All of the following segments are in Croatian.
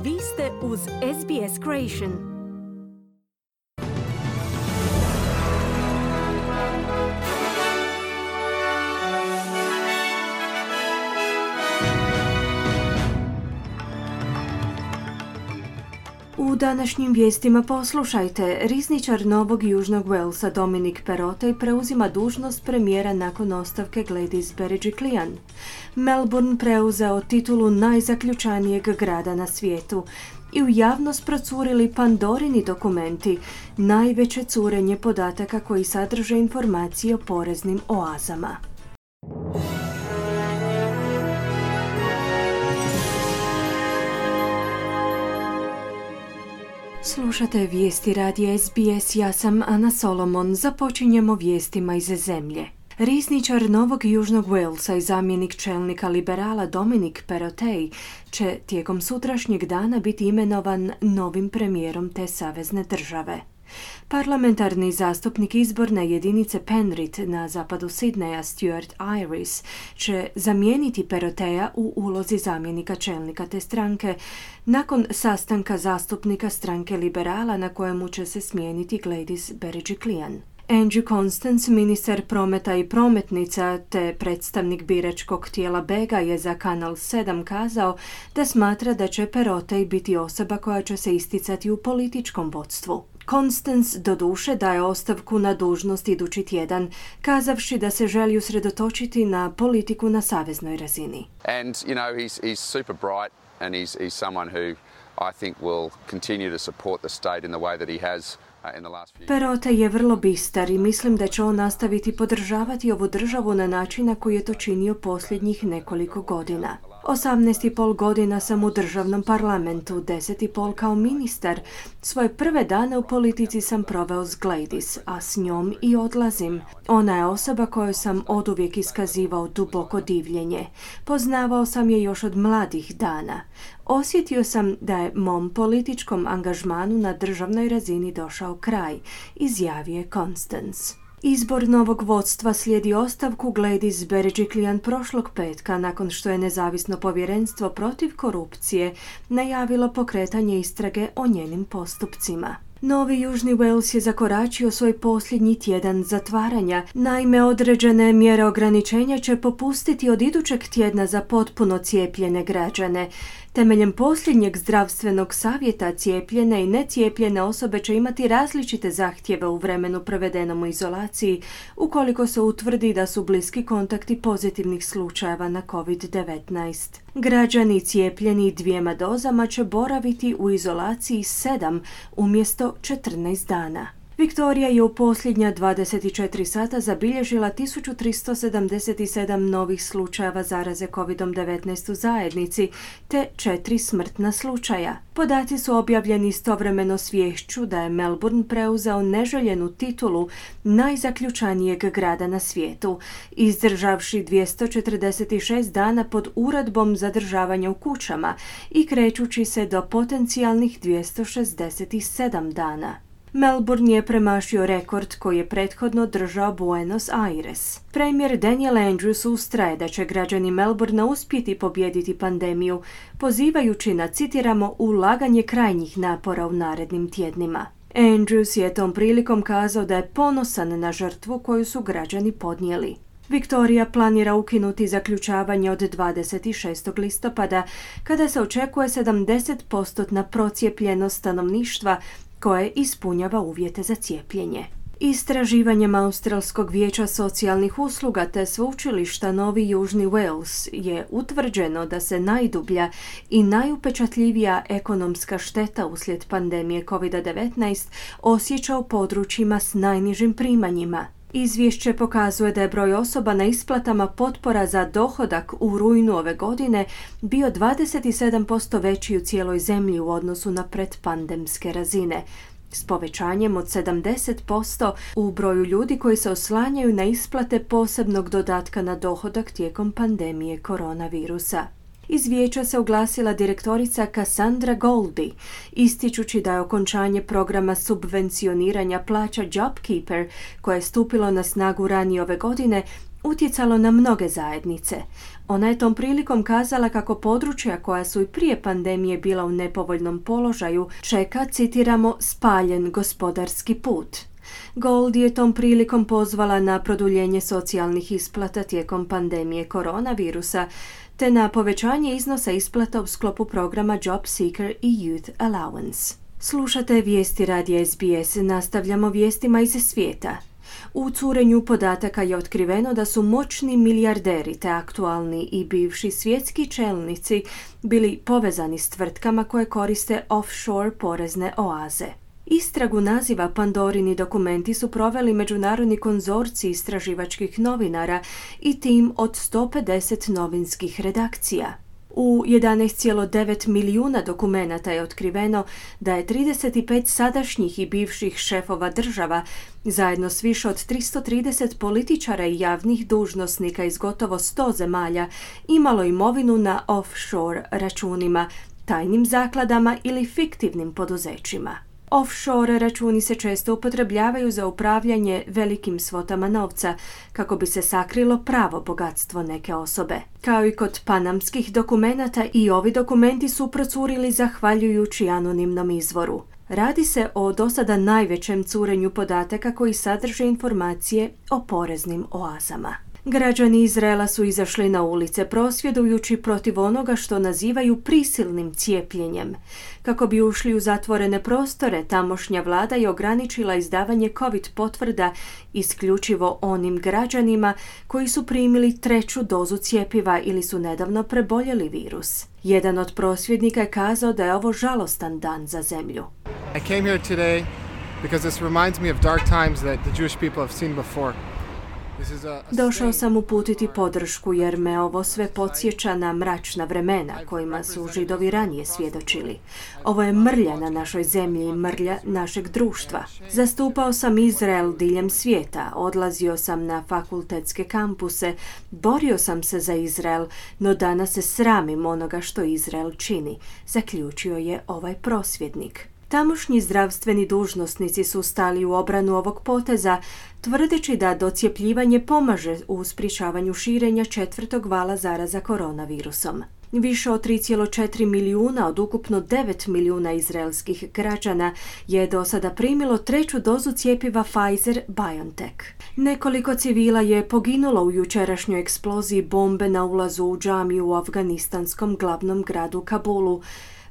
Vi ste uz SBS Creation. U današnjim vijestima poslušajte, rizničar Novog Južnog Walesa Dominic Perrottet preuzima dužnost premijera nakon ostavke Gladys Berejiklian. Melbourne preuzeo titulu najzaključanijeg grada na svijetu i u javnost procurili Pandorini dokumenti, najveće curenje podataka koji sadrže informacije o poreznim oazama. Slušate vijesti radija SBS, ja sam Ana Solomon. Započinjemo vijestima iz zemlje. Rizničar Novog Južnog Walesa i zamjenik čelnika liberala Dominic Perrottet će tijekom sutrašnjeg dana biti imenovan novim premijerom te savezne države. Parlamentarni zastupnik izborne jedinice Penrith na zapadu Sidneja Stuart Iris će zamijeniti Perrottetta u ulozi zamjenika čelnika te stranke nakon sastanka zastupnika stranke liberala na kojemu će se smijeniti Gladys Berejiklian. Andrew Constance, ministar prometa i prometnica te predstavnik biračkog tijela Bega, je za Kanal 7 kazao da smatra da će Perrottet biti osoba koja će se isticati u političkom vodstvu. Constance doduše daje ostavku na dužnost idući tjedan, kazavši da se želi usredotočiti na politiku na saveznoj razini. And he's super bright and he's someone who I think will continue to support the state in the way that he has. Perrottet je vrlo bistar i mislim da će on nastaviti podržavati ovu državu na način na koji je to činio posljednjih nekoliko godina. 18,5 godina sam u državnom parlamentu, 10,5 kao ministar. Svoje prve dane u politici sam proveo s Gladys, a s njom i odlazim. Ona je osoba kojoj sam oduvijek iskazivao duboko divljenje. Poznavao sam je još od mladih dana. Osjetio sam da je mom političkom angažmanu na državnoj razini došao kraj, izjavio je Constance. Izbor novog vodstva slijedi ostavku Gladys Berejiklian prošlog petka nakon što je nezavisno povjerenstvo protiv korupcije najavilo pokretanje istrage o njenim postupcima. Novi Južni Wales je zakoračio svoj posljednji tjedan zatvaranja. Naime, određene mjere ograničenja će popustiti od idućeg tjedna za potpuno cijepljene građane. Temeljem posljednjeg zdravstvenog savjeta cijepljene i necijepljene osobe će imati različite zahtjeve u vremenu provedenom u izolaciji ukoliko se utvrdi da su bliski kontakti pozitivnih slučajeva na COVID-19. Građani cijepljeni 2 dozama će boraviti u izolaciji 7 umjesto 14 dana. Viktorija je u posljednja 24 sata zabilježila 1377 novih slučajeva zaraze COVID-19 u zajednici, te 4 smrtna slučaja. Podaci su objavljeni istovremeno s viješću da je Melbourne preuzeo neželjenu titulu najzaključanijeg grada na svijetu, izdržavši 246 dana pod uredbom zadržavanja u kućama i krećući se do potencijalnih 267 dana. Melbourne je premašio rekord koji je prethodno držao Buenos Aires. Premijer Daniel Andrews ustraje da će građani Melbournea uspjeti pobijediti pandemiju, pozivajući na, citiramo, ulaganje krajnjih napora u narednim tjednima. Andrews je tom prilikom kazao da je ponosan na žrtvu koju su građani podnijeli. Viktorija planira ukinuti zaključavanje od 26. listopada, kada se očekuje 70% procijepljenost stanovništva koje ispunjava uvjete za cijepljenje. Istraživanjem Australskog vijeća socijalnih usluga te sveučilišta Novi Južni Wales je utvrđeno da se najdublja i najupečatljivija ekonomska šteta uslijed pandemije COVID-19 osjeća u područjima s najnižim primanjima. Izvješće pokazuje da je broj osoba na isplatama potpora za dohodak u rujnu ove godine bio 27% veći u cijeloj zemlji u odnosu na predpandemske razine, s povećanjem od 70% u broju ljudi koji se oslanjaju na isplate posebnog dodatka na dohodak tijekom pandemije koronavirusa. Iz vijeća se oglasila direktorica Cassandra Goldie, ističući da je okončanje programa subvencioniranja plaća JobKeeper, koje je stupilo na snagu ranije ove godine, utjecalo na mnoge zajednice. Ona je tom prilikom kazala kako područja koja su i prije pandemije bila u nepovoljnom položaju čeka, citiramo, spaljen gospodarski put. Gold je tom prilikom pozvala na produljenje socijalnih isplata tijekom pandemije koronavirusa, te na povećanje iznosa isplata u sklopu programa Job Seeker i Youth Allowance. Slušate vijesti radija SBS, nastavljamo vijestima iz svijeta. U curenju podataka je otkriveno da su moćni milijarderi te aktualni i bivši svjetski čelnici bili povezani s tvrtkama koje koriste offshore porezne oaze. Istragu naziva Pandorini dokumenti su proveli međunarodni konzorcij istraživačkih novinara i tim od 150 novinskih redakcija. U 11,9 milijuna dokumenata je otkriveno da je 35 sadašnjih i bivših šefova država, zajedno s više od 330 političara i javnih dužnosnika iz gotovo 100 zemalja, imalo imovinu na offshore računima, tajnim zakladama ili fiktivnim poduzećima. Offshore računi se često upotrebljavaju za upravljanje velikim svotama novca kako bi se sakrilo pravo bogatstvo neke osobe. Kao i kod panamskih dokumenata, i ovi dokumenti su procurili zahvaljujući anonimnom izvoru. Radi se o dosada najvećem curenju podataka koji sadrže informacije o poreznim oazama. Građani Izraela su izašli na ulice prosvjedujući protiv onoga što nazivaju prisilnim cijepljenjem. Kako bi ušli u zatvorene prostore, tamošnja vlada je ograničila izdavanje COVID potvrda isključivo onim građanima koji su primili 3. dozu cjepiva ili su nedavno preboljeli virus. Jedan od prosvjednika je kazao da je ovo žalostan dan za zemlju. I came here today because this reminds me of dark times that the Jewish people have seen before. Došao sam uputiti podršku jer me ovo sve podsjeća na mračna vremena kojima su Židovi ranije svjedočili. Ovo je mrlja na našoj zemlji i mrlja našeg društva. Zastupao sam Izrael diljem svijeta, odlazio sam na fakultetske kampuse, borio sam se za Izrael, no danas se sramim onoga što Izrael čini, zaključio je ovaj prosvjednik. Tamošnji zdravstveni dužnosnici su stali u obranu ovog poteza, tvrdeći da docjepljivanje pomaže u sprječavanju širenja 4. vala zaraza koronavirusom. Više od 3,4 milijuna od ukupno 9 milijuna izraelskih građana je do sada primilo 3. dozu cjepiva Pfizer-BioNTech. Nekoliko civila je poginulo u jučerašnjoj eksploziji bombe na ulazu u džamiju u afganistanskom glavnom gradu Kabulu.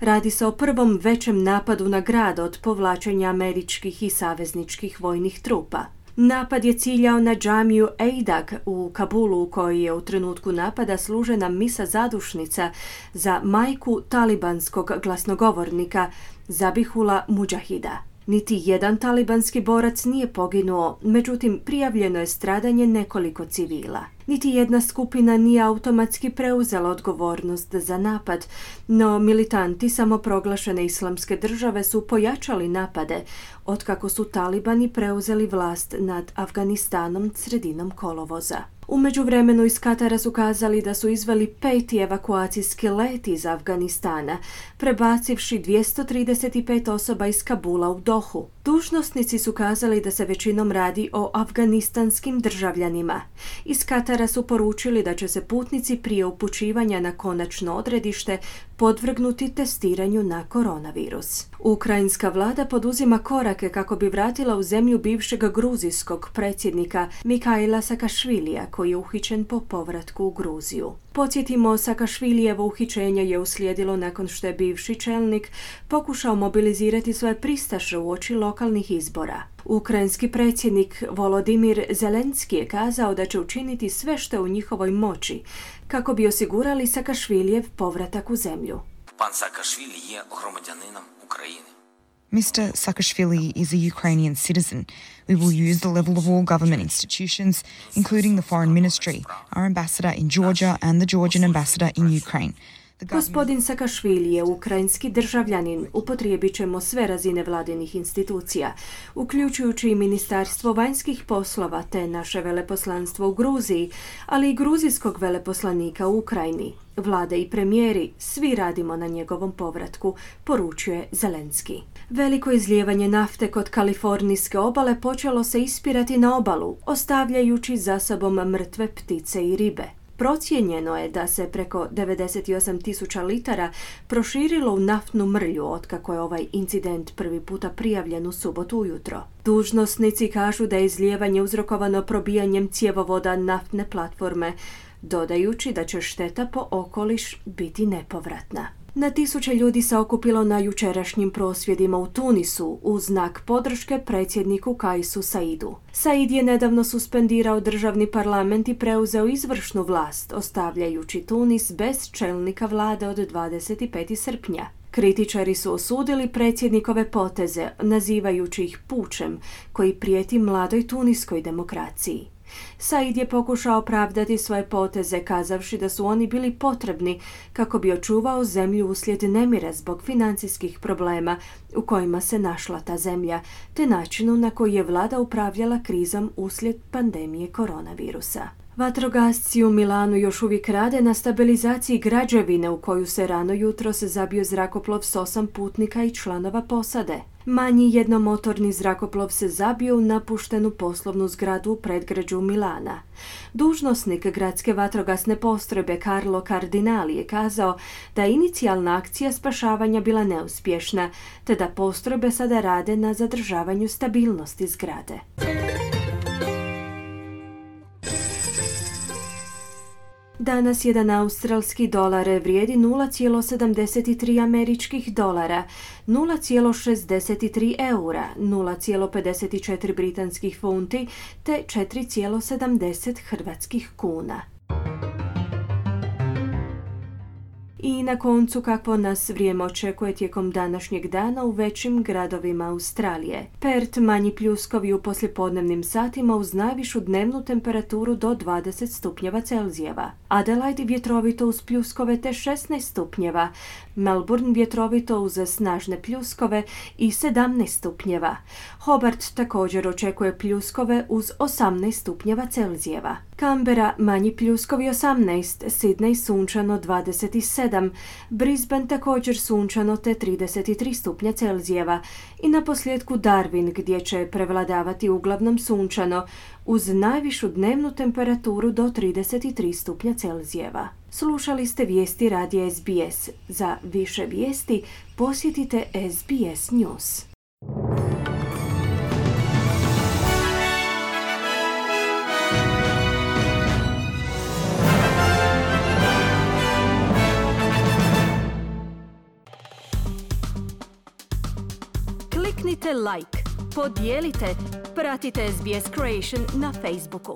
Radi se o prvom većem napadu na grad od povlačenja američkih i savezničkih vojnih trupa. Napad je ciljao na džamiju Eidag u Kabulu, u kojoj je u trenutku napada služena misa zadušnica za majku talibanskog glasnogovornika Zabihula Mudžahida. Niti jedan talibanski borac nije poginuo, međutim prijavljeno je stradanje nekoliko civila. Niti jedna skupina nije automatski preuzela odgovornost za napad, no militanti samoproglašene islamske države su pojačali napade otkako su talibani preuzeli vlast nad Afganistanom sredinom kolovoza. U međuvremenu iz Katara su kazali da su izveli 5. evakuacijski let iz Afganistana, prebacivši 235 osoba iz Kabula u Dohu. Dužnosnici su kazali da se većinom radi o afganistanskim državljanima. Iz Katara su poručili da će se putnici prije upućivanja na konačno odredište podvrgnuti testiranju na koronavirus. Ukrajinska vlada poduzima korake kako bi vratila u zemlju bivšeg gruzijskog predsjednika Mikhaila Saakašvilija, koji je uhićen po povratku u Gruziju. Podsjetimo, Saakašvilijevo uhićenje je uslijedilo nakon što je bivši čelnik pokušao mobilizirati svoje pristaše uoči lokalnih izbora. Ukrajinski predsjednik Volodimir Zelenski je kazao da će učiniti sve što je u njihovoj moći kako bi osigurali Saakašvilijev povratak u zemlju. Pan Saakashvili je громадянином України. Mr. Saakashvili is a Ukrainian citizen. We will use the level of all government institutions, including the Foreign Ministry, our ambassador in Georgia and the Georgian ambassador in Ukraine. Gospodin Sakašvili je ukrajinski državljanin. Upotrijebit ćemo sve razine vladinih institucija, uključujući i Ministarstvo vanjskih poslova te naše veleposlanstvo u Gruziji, ali i gruzijskog veleposlanika u Ukrajini. Vlada i premijeri, svi radimo na njegovom povratku, poručuje Zelenski. Veliko izlijevanje nafte kod kalifornijske obale počelo se ispirati na obalu, ostavljajući za sobom mrtve ptice i ribe. Procijenjeno je da se preko 98.000 litara proširilo u naftnu mrlju otkako je ovaj incident prvi puta prijavljen u subotu ujutro. Dužnosnici kažu da je izlijevanje uzrokovano probijanjem cjevovoda naftne platforme, dodajući da će šteta po okoliš biti nepovratna. Na tisuće ljudi se okupilo na jučerašnjim prosvjedima u Tunisu u znak podrške predsjedniku Kaisu Saidu. Said je nedavno suspendirao državni parlament i preuzeo izvršnu vlast, ostavljajući Tunis bez čelnika vlade od 25. srpnja. Kritičari su osudili predsjednikove poteze, nazivajući ih pučem koji prijeti mladoj tuniskoj demokraciji. Said je pokušao opravdati svoje poteze, kazavši da su oni bili potrebni kako bi očuvao zemlju uslijed nemira zbog financijskih problema u kojima se našla ta zemlja, te načinu na koji je vlada upravljala krizom uslijed pandemije koronavirusa. Vatrogasci u Milanu još uvijek rade na stabilizaciji građevine u koju se rano jutros zabio zrakoplov s 8 putnika i članova posade. Manji jednomotorni zrakoplov se zabio u napuštenu poslovnu zgradu u predgrađu Milana. Dužnosnik gradske vatrogasne postrojbe Carlo Cardinali je kazao da je inicijalna akcija spašavanja bila neuspješna, te da postrojbe sada rade na zadržavanju stabilnosti zgrade. Danas jedan australski dolar vrijedi 0,73 američkih dolara, 0,63 eura, 0,54 britanskih funti te 4,70 hrvatskih kuna. I na koncu kakvo nas vrijeme očekuje tijekom današnjeg dana u većim gradovima Australije. Perth manji pljuskovi u poslijepodnevnim satima uz najvišu dnevnu temperaturu do 20 stupnjeva Celzijeva. Adelaide vjetrovito uz pljuskove te 16 stupnjeva. Melbourne vjetrovito uz snažne pljuskove i 17 stupnjeva. Hobart također očekuje pljuskove uz 18 stupnjeva Celzijeva. Canberra manji pljuskovi 18, Sydney sunčano 27, Brisbane također sunčano te 33 stupnja Celzijeva i na posljedku Darwin gdje će prevladavati uglavnom sunčano uz najvišu dnevnu temperaturu do 33 stupnja Celzijeva. Slušali ste vijesti radija SBS. Za više vijesti posjetite SBS News. Kliknite like, podijelite, pratite SBS Creation na Facebooku.